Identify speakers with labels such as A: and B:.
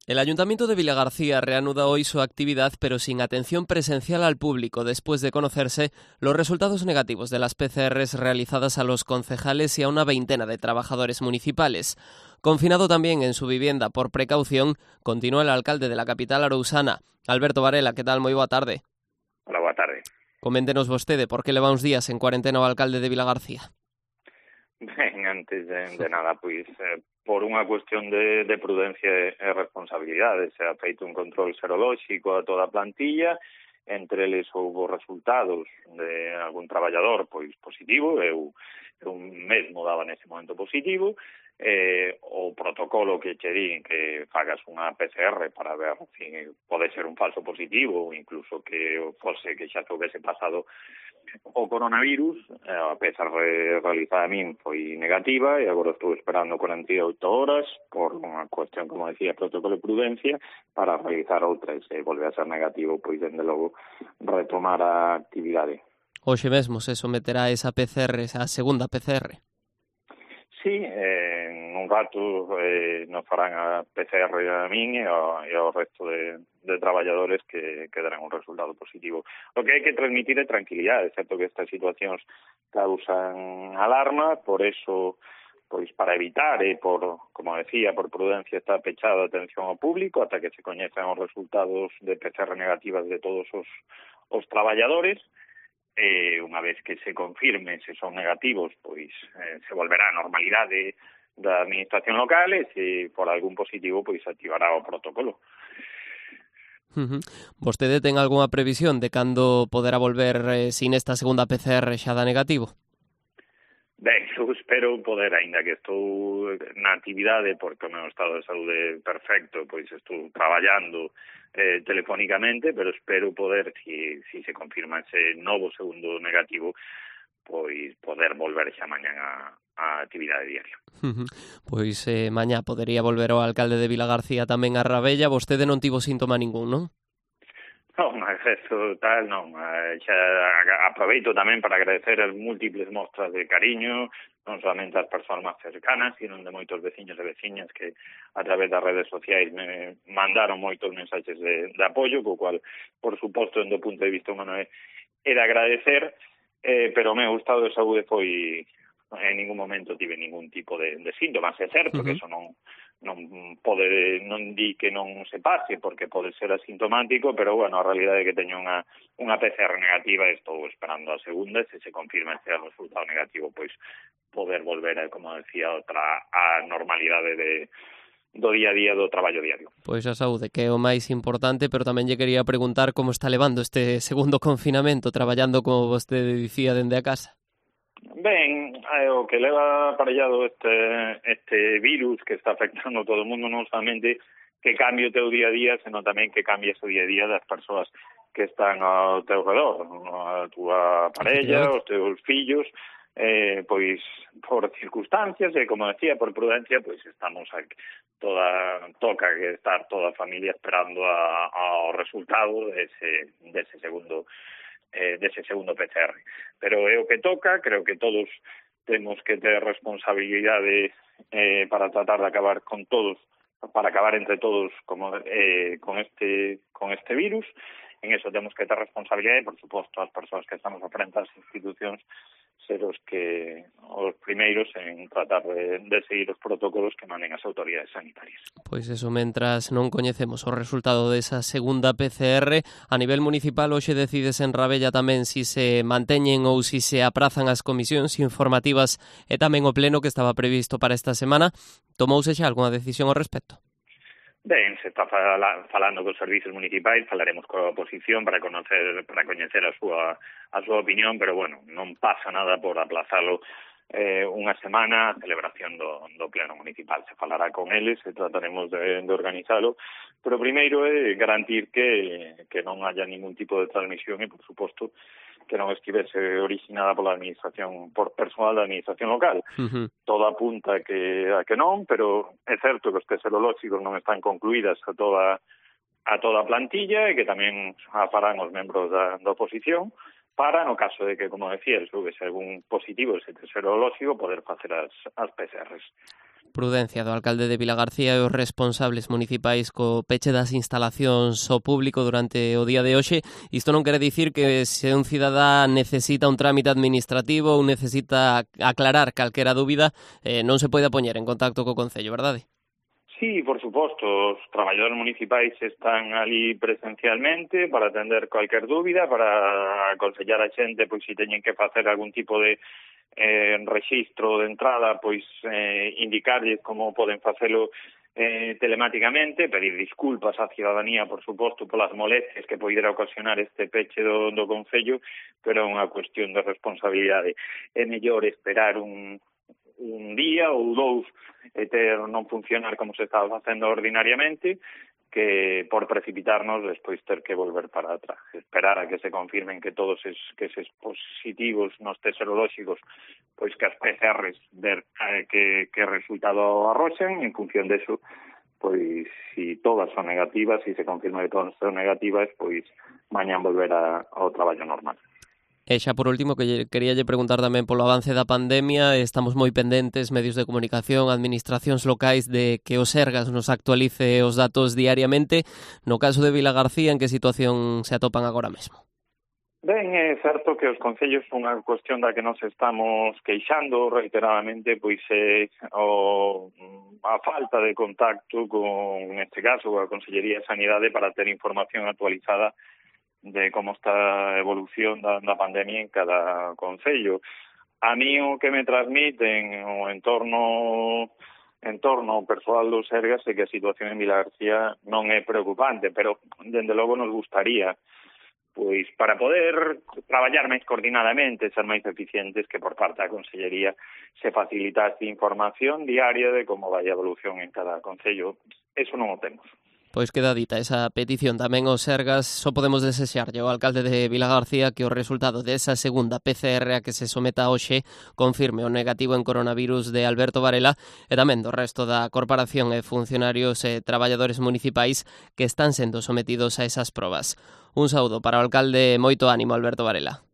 A: El Ayuntamiento de Vilagarcía reanuda hoy su actividad, pero sin atención presencial al público, después de conocerse los resultados negativos de las PCRs realizadas a los concejales y a una veintena de trabajadores municipales. Confinado también en su vivienda por precaución, continúa el alcalde de la capital arousana, Alberto Varela. Que tal? Moi boa tarde.
B: Hola, boa tarde.
A: Coméntenos vostede por que leva uns días en cuarentena o alcalde de Vilagarcía.
B: Ben, antes de nada, pois, por unha cuestión de prudencia e responsabilidade, se ha feito un control serolóxico a toda a plantilla, entre eles houve resultados de algún traballador pois positivo, eu mesmo daba nese momento positivo, o protocolo que che din que fagas unha PCR para ver se pode ser un falso positivo ou incluso que fose que xa se houvese pasado o coronavirus, a PCR realizada a min foi negativa e agora estou esperando 48 horas por unha cuestión, como decía, protocolo de prudencia para realizar outra e se volve a ser negativo, pois dende logo retomar a actividade.
A: Hoxe mesmo se someterá esa PCR, esa segunda PCR.
B: Sí, en un rato nos farán a PCR a min e ao resto de traballadores que darán un resultado positivo. O que hai que transmitir é tranquilidade, certo que estas situacións causan alarma, por eso, pois para evitar e por, como decía, por prudencia está pechada a atención ao público ata que se coñezan os resultados de PCR negativas de todos os traballadores. Unha vez que se confirme se son negativos, pois se volverá a normalidade da administración local e se por algún positivo, pois activará o protocolo.
A: Vostede ten algunha previsión de cando poderá volver sin esta segunda PCR xa da negativo?
B: Ben, eu espero poder, aínda que estou na actividade porque o meu estado de saúde é perfecto, pois estou traballando telefónicamente, pero espero poder, si se confirma ese novo segundo negativo, pois poder volver xa mañán a actividade diaria.
A: Pois mañá podería volver o alcalde de Vilagarcía tamén a Rabella. Vostede non tivo síntoma ningún, non?
B: Non, eso tal, non. Xa aproveito tamén para agradecer as múltiples mostras de cariño, non solamente ás persoas máis cercanas, sino de moitos veciños e veciñas que a través das redes sociais me mandaron moitos mensaxes de apoio, co cual, por suposto, do punto de vista humano é de agradecer, pero o meu estado de saúde foi, en ningún momento tive ningún tipo de síntomas. É certo que eso non di que non se pase porque pode ser asintomático, pero bueno, a realidade é que teño unha PCR negativa e estou esperando a segunda e se confirma ese resultado negativo, pois poder volver, como decía, a normalidade do día a día do traballo diario.
A: Pois a saúde, que é o máis importante, pero tamén lle quería preguntar como está levando este segundo confinamento, traballando, como vostede dicía, dende a casa.
B: Ben, o que leva aparellado este virus que está afectando a todo o mundo, non solamente que cambie o teu día a día, senón tamén que cambie o día a día das persoas que están ao teu redor, a túa parella, os teus fillos, pois por circunstancias e, como decía, por prudencia, pois estamos aquí, toca que estar toda a familia esperando ao resultado dese segundo PCR. Pero é o que toca, creo que todos temos que ter responsabilidade para tratar de acabar con todos, para acabar entre todos con este virus. En eso temos que ter responsabilidade, por suposto, as persoas que estamos a frente ás institucións ser os primeiros en tratar de seguir os protocolos que manden as autoridades sanitarias.
A: Pois eso, mentras non coñecemos o resultado desa segunda PCR, a nivel municipal hoxe decides en Rabella tamén si se manteñen ou si se aprazan as comisións informativas e tamén o pleno que estaba previsto para esta semana. Tomouse xa algunha decisión ao respecto?
B: Ben, se está falando cos servizos municipais, falaremos coa oposición para coñecer a súa opinión, pero bueno, non pasa nada por aplazalo unha semana a celebración do pleno municipal. Se falará con eles e trataremos de organizalo, pero primeiro é garantir que non haya ningún tipo de transmisión e, por suposto, que non estivese originada pola administración, por personal da administración local. Todo apunta a que non, pero é certo que os test serolóxicos non están concluídas a toda a plantilla e que tamén a farán os membros da oposición para, no caso de que, como decía, houvese algún positivo ese test serolóxico, poder facer as PCRs.
A: Prudencia do alcalde de Vilagarcía e os responsables municipais co peche das instalacións ao público durante o día de hoxe. Isto non quere dicir que se un cidadá necesita un trámite administrativo ou necesita aclarar calquera dúbida, non se pode poñer en contacto co Concello, verdade?
B: Sí, por suposto, os traballadores municipais están ali presencialmente para atender cualquier dúbida, para aconsellar a xente pois se teñen que facer algún tipo de rexistro de entrada, pois indicarlles como poden facelo telemáticamente, pedir disculpas á ciudadanía, por suposto, polas molestias que poidera ocasionar este peche do Concello, pero é unha cuestión de responsabilidade. É mellor esperar un día ou dous e non funcionar como se estaba facendo ordinariamente, que por precipitarnos despois ter que volver para atrás, esperar a que se confirmen que todos eses positivos nos test serolóxicos, pois que as PCRs ver que resultado arroxen, en función deso, pois si todas son negativas, si se confirma que todas son negativas, pois mañán volver ao traballo normal.
A: E xa por último, que queríalle preguntar tamén polo avance da pandemia. Estamos moi pendentes, medios de comunicación, administracións locais, de que o Sergas nos actualice os datos diariamente. No caso de Vilagarcía, en que situación se atopan agora mesmo?
B: Ben, é certo que os concellos son unha cuestión da que nos estamos queixando reiteradamente, pois a falta de contacto con, neste caso, a Consellería de Sanidade para ter información actualizada de como está a evolución da pandemia en cada concello. A mí o que me transmiten o entorno persoal do Sergas é que a situación en Vilagarcía non é preocupante, pero dende logo nos gustaría pois para poder traballar máis coordinadamente, ser máis eficientes, que por parte da Consellería se facilitase información diaria de como vai a evolución en cada concello. Eso non o temos.
A: Pois queda dita esa petición tamén ao Sergas. Só podemos desexarlle ao alcalde de Vilagarcía que o resultado desa segunda PCR a que se someta hoxe confirme o negativo en coronavirus de Alberto Varela e tamén do resto da corporación e funcionarios e traballadores municipais que están sendo sometidos a esas probas. Un saúdo para o alcalde, moito ánimo, Alberto Varela.